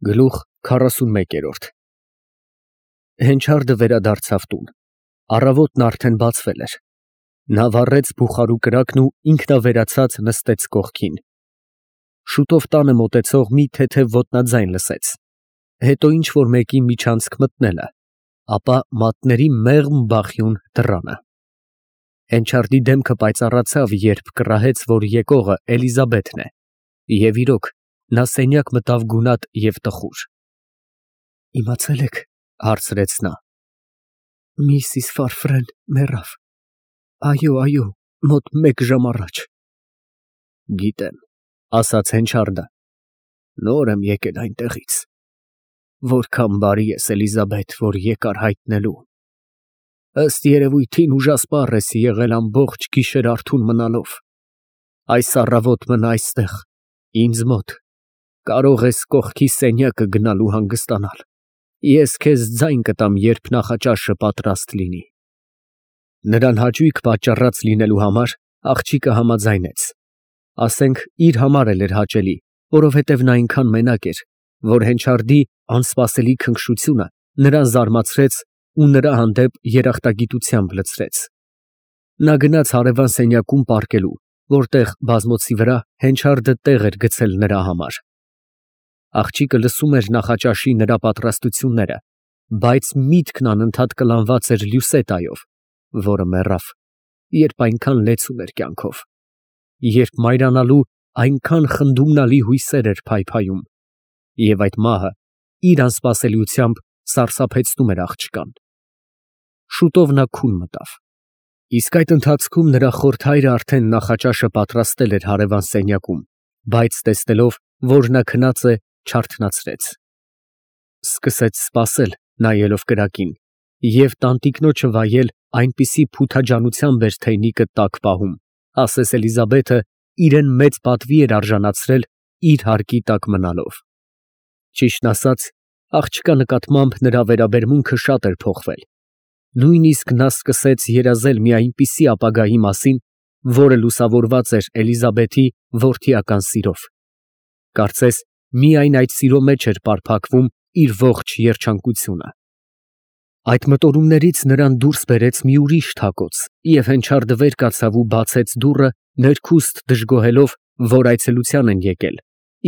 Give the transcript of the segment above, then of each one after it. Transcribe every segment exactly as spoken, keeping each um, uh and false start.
Գլուխ քառասունմեկ։ Հենչարդը վերադարձավ տուն, առավոտն արդեն բացվել էր, նա վառեց բուխարու կրակն ու ինքնավերացած նստեց կողքին, շուտով տանը մոտեցող մի թեթև ոտնաձայն լսեց, հետո ինչ-որ մեկի միջանցք մտնելը, ապա մատների մեղմ բախյուն դռանը, հենչարդի դեմքը պայծառացավ, երբ կռահեց, որ եկողը Էլիզաբեթն է, և իրոք, նա սենյակ մտավ գունատ և տխուր։ Իմացե՞լ եք, հարցրեց նա։ Միսիս Ֆարֆրեն մեռավ, այո, այո, մոտ մեկ ժամ առաջ։ Գիտեմ, ասաց Հենչարդը, նոր եմ եկել այնտեղից, որքան բարի ես, Էլիզաբեթ, որ եկար հայտնելու, ըստ երևույթին ուժասպառ ես եղել ամբողջ գիշեր արթուն մնալով, այս առավոտ մնա այստեղ, ինձ մոտ, կարող ես կողքի սենյակը գնալ ու հանգստանալ, ես քեզ ձայն կտամ, երբ նախաճաշը պատրաստ լինի։ Նրան հաճույք պատճառած լինելու համար աղջիկը համաձայնեց, ասենք իր համար էլ էր հաճելի, որովհետև նա այնքան մենակ էր, որ Հենչարդի անսպասելի քնքշությունը նրան զարմացրեց ու նրա հանդեպ երախտագիտությամբ լցրեց։ Նա գնաց հարևան սենյակում պառկելու, որտեղ բազմոցի վրա Հենչարդը տեղ էր գցել նրա համար։ Աղջիկը լսում էր նախաճաշի նրա պատրաստությունները, բայց միտքն անընդհատ կլանված էր Լյուսետայով, որը մեռավ, երբ այնքան լեցուն էր կյանքով, երբ մայրանալու այնքան խնդումնալի հույսեր էր փայփայում, և այդ մահը իր անսպասելիությամբ սարսափեցնում էր աղջկան։ Շուտով նա քուն մտավ, իսկ այդ ընթացքում նրա խորթայրը արդեն նախաճաշը պատրաստել էր հարևան սենյակում, բայց տեսնելով, որ նա քնած է, չարթնացրեց։ Սկսեց սպասել, նայելով կրակին, և տանտիկնոջը վայել այնպիսի փութաջանությամբ էր թեյնիկը տակ պահում, ասես Էլիզաբեթը իրեն մեծ պատվի էր արժանացրել իր հարկի տակ մնալով։ Ճիշտն ասած, աղջկա նկատմամբ նրա վերաբերմունքը շատ էր փոխվել, նույնիսկ նա սկսեց երազել մի այնպիսի ապագայի մասին, որը լուսավորված էր Էլիզաբեթի որդիական սիրով։ Կարծես միայն այդ սիրո մեջ էր պարփակվում իր ողջ երջանկությունը։ Այդ մտորումներից նրան դուրս բերեց մի ուրիշ թակոց, և Հենչարդը վեր կացավ ու բացեց դուռը, ներքուստ դժգոհելով, որ այցելության են եկել,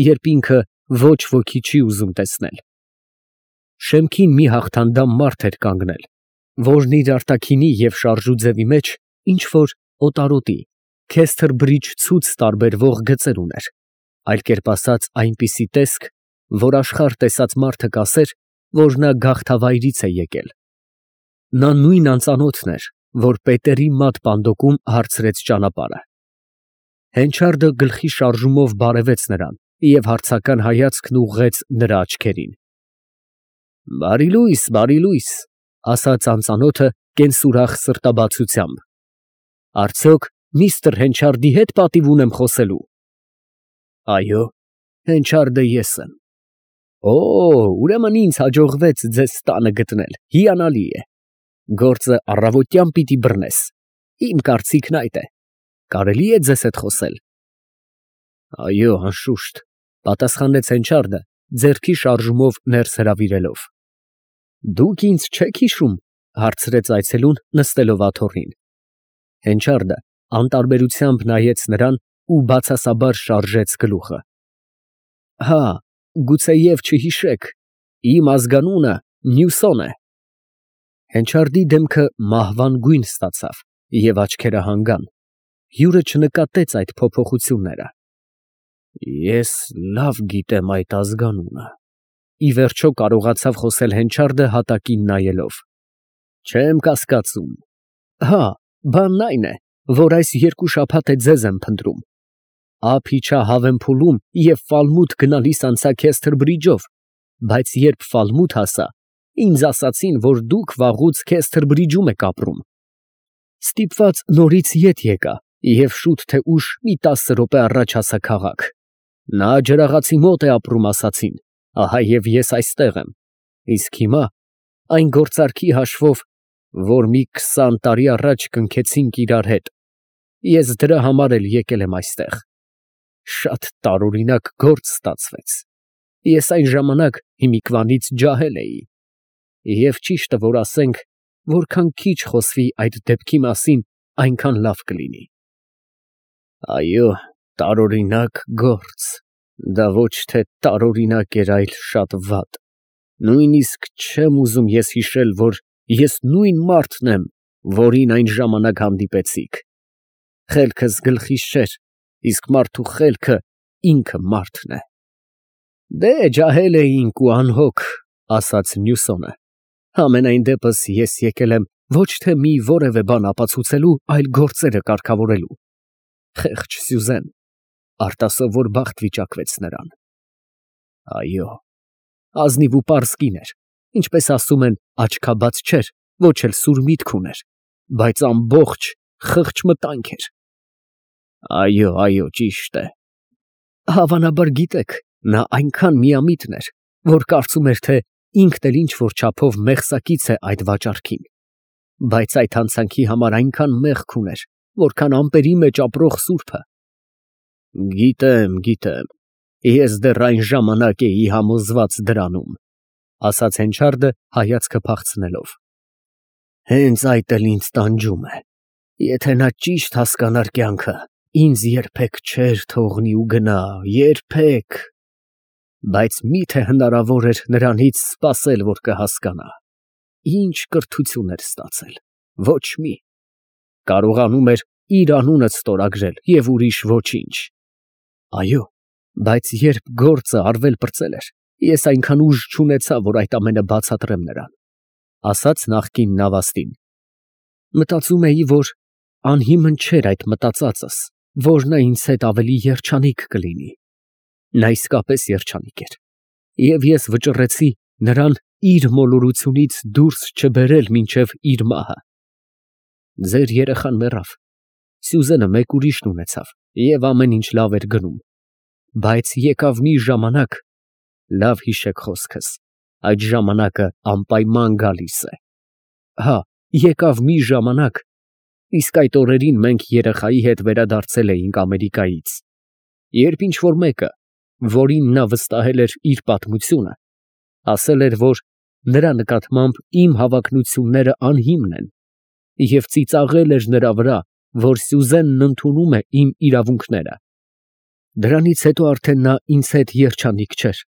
երբ ինքը ոչ ոքի չի ուզում տեսնել։ Շեմքին մի հաղթանդամ մարդ էր կանգնել, որն իր արտաքինի և շարժու ձևի մեջ ինչ֊որ օտարոտի, Քեսթերբրիջ ցուց տարբերվող գծեր ուներ, այլ կերպ ասած, այնպիսի տեսք, որ աշխարհ տեսած մարդը կասեր, որ նա գաղթավայրից է եկել։ Նա նույն անծանոթն էր, որ Պետերի մատ պանդոկում հարցրեց ճանապարհը։ Հենչարդը գլխի շարժումով բարևեց նրան և հարցական հայացքն ուղղեց նրա աչքերին։ Բարի լույս, բարի լույս, ասաց անծանոթը կենսուրախ սրտաբացությամբ, արդյոք միստր Հենչարդի հետ պատիվ ունեմ խոսելու։ Այո, Հենչարդը ես եմ։ Օ, ուրեմն ինձ հաջողվեց ձեզ տանը գտնել, հիանալի է, գործը առավոտյան պիտի բռնես, իմ կարծիքն այդ է, կարելի է ձեզ հետ խոսել։ Այո, անշուշտ, պատասխանեց Հենչարդը, ձեռքի շարժումով ներս հրավիրելով։ Դուք ինձ չեք հիշում, հարցրեց այցելուն, նստելով աթոռին։ Հենչարդը անտարբերությամբ նայեց նրան ու բացասաբար շարժեց գլուխը։ Հա, գուցեև չհիշեք, իմ ազգանունը Նյուսոն է։ Հենչարդի դեմքը մահվան գույն ստացավ և աչքերը հանգան, հյուրը չնկատեց այդ փոփոխությունները։ Ես լավ գիտեմ այդ ազգանունը, ի վերջո կարողացավ խոսել Հենչարդը հատակին նայելով։ Չեմ կասկածում։ Հա, բանն այն է, որ այս երկու շաբաթ է ձեզ եմ փնտրում։ Ափ իջա Հավենփուլում և Ֆալմութ գնալիս անցա Քեսթերբրիջով, բայց երբ Ֆալմութ հասա, ինձ ասացին, որ դուք վաղուց Քեսթերբրիջում եք ապրում։ Ստիպված նորից ետ եկա և շուտ թե ուշ մի տասը րոպե առաջ հասա քաղաք։ Նա ջրաղացի մոտ է ապրում, ասացին, ահա և ես այստեղ եմ, իսկ հիմա այն գործարքի հաշվով, որ մի քսան տարի առաջ կնքեցինք իրար հետ, ես դրա համար էլ եկել եմ այստեղ։ Շատ տարօրինակ գործ ստացվեց։ Ես այն ժամանակ հիմիկվանից ջահել էի, և ճիշտը որ ասենք, որքան քիչ խոսվի այդ դեպքի մասին, այնքան լավ կլինի։ Այո, տարօրինակ գործ, դա ոչ թե տարօրինակ էր, այլ շատ վատ, նույնիսկ չեմ ուզում ես հիշել, որ ես նույն մարդն եմ, որին այն ժամանակ հանդիպեցիք, խելքս գլխիս չէր, իսկ մարդու խելքը ինքը մարդն է։ Դե ջահել էինք ու անհոգ, ասաց Մյուսոնը, համենայն դեպս ես եկել եմ ոչ թե մի որևէ բան ապացուցելու, այլ գործերը կարգավորելու։ Խեղճ Սյուզեն, արտասովոր բախտ վիճակվեց նրան։ Այո, ազնիվ ու պարզ կին էր, ինչպես ասում են, աչքաբաց չէր, ոչ էլ սուր միտք ուներ, բայց ամբողջ խղճ մտանք էր։ Այո, այո, ճիշտ է։ Հավանաբար գիտեք, նա այնքան միամիտն էր, որ կարծում էր, թե ինքն էլ ինչ-որ չափով մեղսակից է այդ վաճառքին, բայց այդ հանցանքի համար այնքան մեղք ուներ, որքան ամպերի մեջ ապրող սուրբը։ Գիտեմ, գիտեմ, ես դեռ այն ժամանակ էի համոզված դրանում, ասաց Հենչարդը հայացքը փախցնելով։ Հենց այդ էլ ինձ տանջում է, եթե նա ճիշտ հասկանար կյանքը, ինձ երբեք չէր թողնի ու գնա, երբեք, բայց միթե հնարավոր էր նրանից սպասել, որ կհասկանա, ինչ կրթություն էր ստացել, ոչ մի, կարողանում էր իր անունը ստորագրել և ուրիշ ոչինչ։ Այո, բայց երբ գործը արվել պրծել էր, ես այնքան ուժ չունեցա, որ այդ ամենը բացատրեմ նրան, ասաց նախկին նավաստին։ Մտածում էի, որ անհիմն չէր այդ մտածածս, որ նա ինձ հետ ավելի երջանիկ կլինի։ Նա իսկապես երջանիկ էր, և ես վճռեցի նրան իր մոլորությունից դուրս չբերել մինչև իր մահը։ Ձեր երեխան մեռավ, Սյուզենը մեկ ուրիշն ունեցավ, և ամեն ինչ լավ էր գնում, բայց եկավ մի ժամանակ, լավ հիշեք խոսքս, այդ ժամանակը անպայման գալիս է։ Հա, եկավ մի ժամանակ, իսկ այդ օրերին մենք երեխայի հետ վերադարձել էինք Ամերիկայից, երբ ինչ-որ մեկը, որին նա վստահել էր իր պատմությունը, ասել էր, որ նրա նկատմամբ իմ հավակնությունները անհիմն են, և ծիծաղել էր նրա վրա, որ Սյուզենն ընդունում է իմ իրավունքները։ Դրանից հետո արդեն նա ինձ հետ երջանիկ չէր,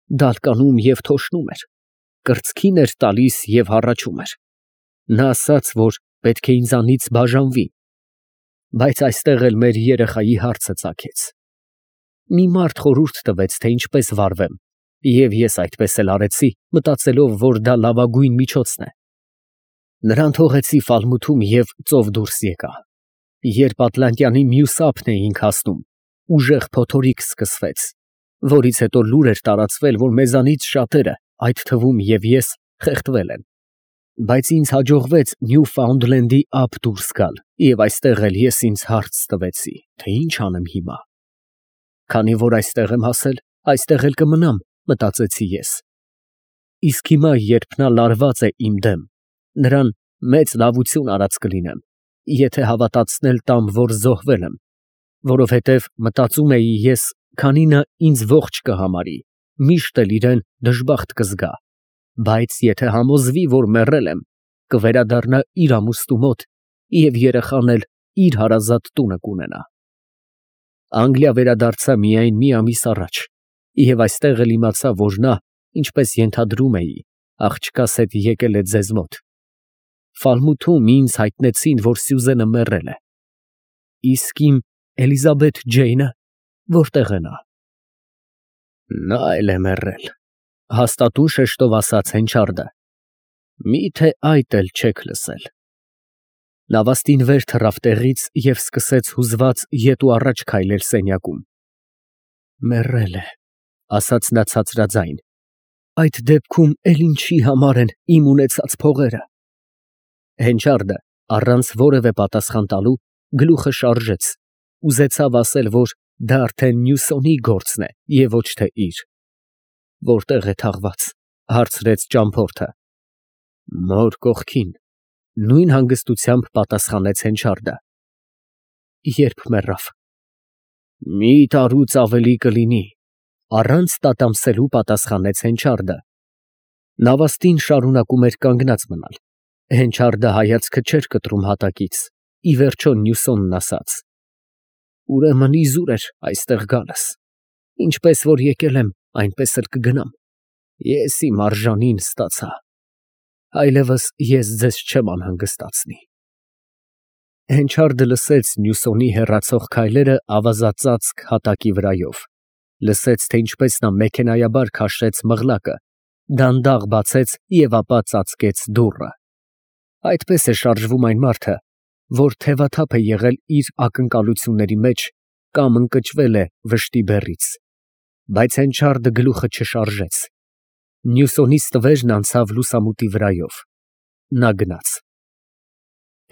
դալկանում և թոշնում էր, կրծքին էր տալիս և հառաչում էր։ Նա ասաց, որ պետք է ինձանից բաժանվի, բայց այստեղ էլ մեր երեխայի հարցը ծագեց։ Մի մարդ խորհուրդ տվեց, թե ինչպես վարվեմ, և ես այդպես էլ արեցի, մտածելով, որ դա լավագույն միջոցն է։ Նրան թողեցի Ֆալմութում և ծով դուրս եկա։ Երբ Ատլանտյանի մյուս ափն էինք հասնում, ուժեղ փոթորիկ սկսվեց, որից հետո լուր էր տարածվել, որ մեզանից շատերը, այդ թվում և ես, խեղդվել են։ Բայց ինձ հաջողվեց Նյուֆաունդլենդի ափ դուրս գալ, և այստեղ էլ ես ինձ հարց տվեցի, թե ինչ անեմ հիմա։ Քանի որ այստեղ եմ հասել, այստեղ էլ կմնամ, մտածեցի ես։ Իսկ հիմա, երբ նա լարված է իմ դեմ, նրան մեծ լավություն արած կլինեմ, եթե հավատացնել տամ, որ զոհվել եմ, որովհետև մտածում էի ես, քանի նա ինձ ողջ կհամարի, միշտ էլ իրեն դժբախտ կզգա, բայց եթե համոզվի, որ մեռել եմ, կվերադառնա իր ամուսնու մոտ և երեխան էլ իր հարազատ տունը կունենա։ Անգլիա վերադարձա միայն մի ամիս առաջ, և այստեղ էլ իմացա, որ նա, ինչպես ենթադրում էի, աղջկաս հետ եկել է ձեզ մոտ։ Ֆալմութում ինձ հայտնեցին, որ Սյուզենը մեռել է։ Իսկ իմ Էլիզաբեթ Ջեյնը որտե՞ղ է նա։ Նա էլ է մեռել, հաստատուն շեշտով ասաց Հենչարդը։ Մի՞թե այդ էլ չեք լսել։ Նավաստին վեր թռավ տեղից և սկսեց հուզված ետ ու առաջ քայլել սենյակում։ Մեռել է, ասաց նա ցածրաձայն, այդ դեպքում էլ ինչի համար են իմ ունեցած փողերը։ Հենչարդը, առանց որևէ պատասխան տալու, գլուխը շարժեց, ուզեցավ ասել, որ դա արդեն Մյուսոնի գործն է և ոչ թե իր։ Որտե՞ղ է թաղված, հարցրեց ճամփորդը։ Մոր կողքին, նույն հանգստությամբ պատասխանեց Հենչարդը։ Երբ մեռավ։ Մի տարուց ավելի կլինի, Առանց տատամսելու պատասխանեց Հենչարդը։ Նավաստին շարունակում էր կանգնած մնալ։ Հենչարդը հայացքը չէր կտրում հատակից, ի վերջո Մյուսոնն ասաց. Ուրեմն իզուր էր այստեղ գալս, ինչպես որ եկել եմ, այնպես էլ կգնամ, ես իմ արժանին ստացա, այլևս ես ձեզ չեմ անհանգստացնի։ Հենչարդը լսեց Մյուսոնի հեռացող քայլերը ավազածածկ հատակի վրայով, լսեց, թե ինչպես նա մեքենայաբար քաշեց մղլակը, դանդաղ բացեց և ապա ծածկեց դուռը։ Այդպես է շարժվում այն մարդը, որ թևաթափ է եղել իր ակնկալությունների մեջ կամ ընկճվել է վշտի բեռից։ Բայց Հենչարդը գլուխը չշարժեց։ Մյուսոնից տվերն անցավ լուսամուտի վրայով։ Նա գնաց։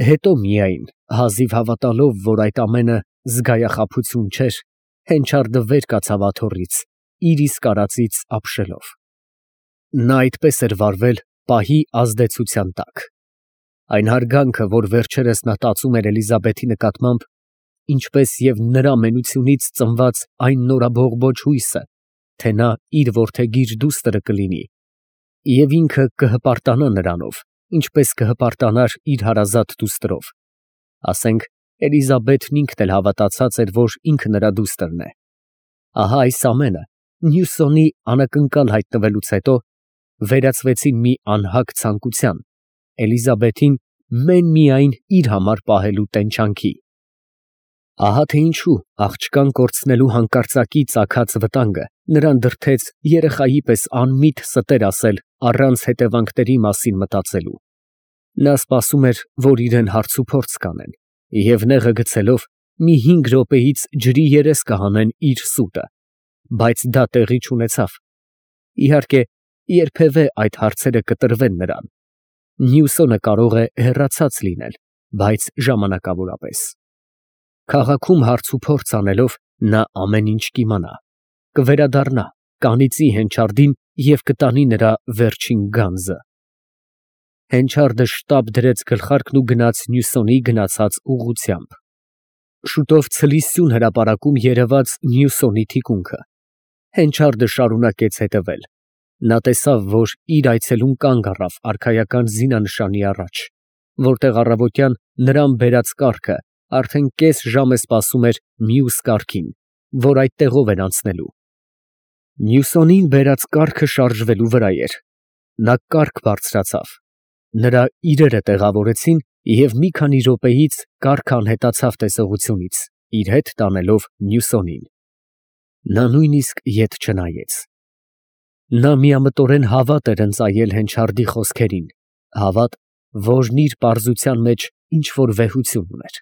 Հետո միայն, հազիվ հավատալով, որ այդ ամենը զգայախաբություն չէր, Հենչարդը վեր կացավ աթոռից, իր իսկ արածից ապշելով։ Նա այդպես էր վարվել պահի ազդեցության տակ։ Այն հարգանքը, որ վերջերս նա տածում էր Էլիզաբեթի նկատմամբ, ինչպես և նրա մենությունից ծնված այն նորաբողբոջ հույսը, թե նա իր որդեգիր դուստրը կլինի, և ինքը կհպարտանա նրանով, ինչպես կհպարտանար իր հարազատ դուստրով, ասենք, Էլիզաբեթն ինքն էլ հավատացած էր, որ ինքը նրա դուստրն է։ Ահա այս ամենը Մյուսոնի անակնկալ հայտնվելուց հետո վերածվեցին մի անհագ ցանկության, Էլիզաբեթին մեն֊միայն իր համար պահելու տենչանքի։ Ահա թե ինչու աղջկան կորցնելու հանկարծակի ծագած վտանգը նրան դրդեց երեխայի պես անմիտ ստեր ասել առանց հետևանքների մասին մտածելու։ Նա սպասում էր, որ իրեն հարցուփորձ կանեն, և նեղը գցելով մի հինգ րոպեից ջրի երես կհանեն իր սուտը, բայց դա տեղի չունեցավ։ Իհարկե, երբևէ այդ հարցերը կտրվեն նրան։ Մյուսոնը կարող է հեռացած լինել, բայց ժամանակավորապես։ Քաղաքում հարցուփորձ անելով նա ամեն ինչ կիմանա, կվերադառնա, կանիծի Հենչարդին և կտանի նրա վերջին գանձը։ Հենչարդը շտապ դրեց գլխարկն ու գնաց Մյուսոնի գնացած ուղղությամբ։ Շուտով ցլի սյուն հրապարակում երևաց Մյուսոնի թիկունքը։ Հենչարդը շարունակեց հետևել։ Նա տեսավ, որ իր այցելուն կանգ առավ արքայական զինանշանի առաջ, որտեղ առավոտյան նրան բերած կառքը արդեն կես ժամ է սպասում էր մյուս կառքին, որ այդ տեղով էր անցնելու։ Մյուսոնին բերած կառքը շարժվելու վրա էր։ Նա կառք բարձրացավ։ Նրա իրերը տեղավորեցին, և մի քանի րոպեից կառքը անհետացավ տեսողությունից, իր հետ տանելով Մյուսոնին։ Նա նույնիսկ ետ չնայեց։ Նա միամտորեն հավատ էր ընծայել Հենչարդի խոսքերին, հավատ, որն իր պարզության մեջ ինչ֊որ վեհություն ուներ։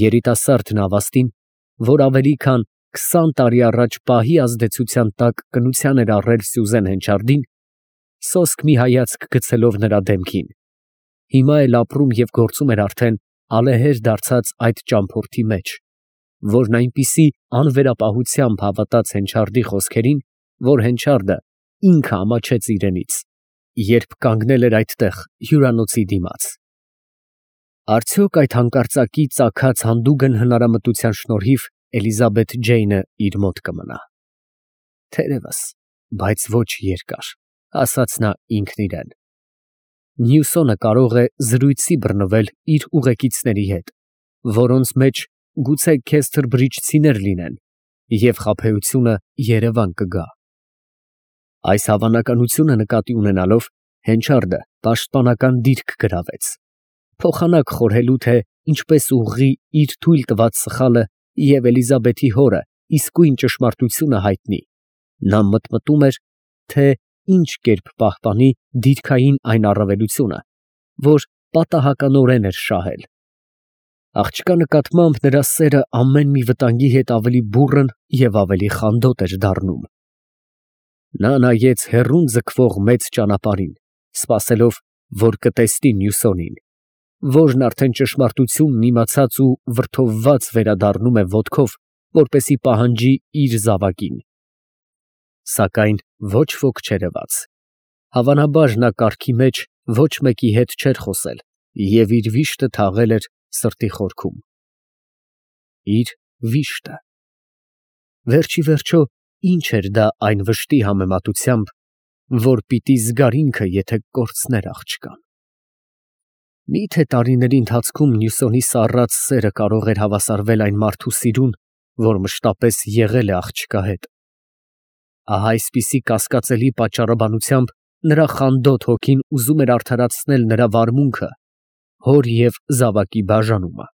Երիտասարդ նավաստին, որ ավելի քան քսան տարի առաջ պահի ազդեցության տակ կնության էր առել Սյուզեն Հենչարդին, սոսկ մի հայացք գցելով նրա դեմքին, հիմա էլ ապրում և գործում էր արդեն ալեհեր դարձած այդ ճամփորդի մեջ, որն այնպիսի անվերապահությամբ հավատաց Հենչարդի խոսքերին, որ Հենչարդը ինքը ամաչեց իրենից, երբ կանգնել էր այդտեղ հյուրանոցի դիմաց։ Արդյոք այդ հանկարծակի ծագած հանդուգն հնարամտության շնորհիվ Էլիզաբեթ Ջեյնը իր մոտ կմնա։ Թերևս, բայց ոչ երկար, ասաց նա ինքն իրեն։ Մյուսոնը կարող է զրույցի բռնվել իր ուղեկիցների հետ, որոնց մեջ գուցե քեսթրբրիջցիներ լինեն, և խաբեությունը երևան կգա։ Այս հավանականությունը նկատի ունենալով Հենչարդը պաշտպանական դիրք գրավեց, փոխանակ խորհելու, թե ինչպես ուղղի իր թույլ տված սխալը և Էլիզաբեթի հորը իսկույն ճշմարտությունը հայտնի։ Նա մտմտում էր, թե ինչ կերպ պահպանի դիրքային այն առավելությունը, որ պատահականորեն էր շահել։ Աղջկա նկատմամբ նրա սերը ամեն մի վտանգի հետ ավելի բուռն և ավելի խանդոտ էր դառնում։ Նա նայեց հեռուն ձգվող մեծ ճանապարհին, սպասելով, որ կտեսնի Մյուսոնին, որն արդեն ճշմարտությունն իմացած ու վրդովված վերադառնում է ոտքով, որպեսզի պահանջի իր զավակին։ Սակայն ոչ ոք չերևաց։ Հավանաբար նա կառքի մեջ ոչ մեկի հետ չէր խոսել և իր վիշտը թաղել էր սրտի խորքում։ Իր վիշտը։ Վերջ ի վերջո ինչ էր դա այն վշտի համեմատությամբ, որ պիտի զգար ինքը, եթե կորցներ աղջկան։ Մի՞թե տարիների ընթացքում Մյուսոնի սառած սերը կարող էր հավասարվել այն մարդու սիրուն, որ մշտապես եղել է աղջկա հետ։ Ահա այսպիսի կասկածելի պատճառաբանությամբ նրա խանդոտ հոգին ուզում էր արդարացնել նրա վարմունքը, հոր և զավակի բաժանումը։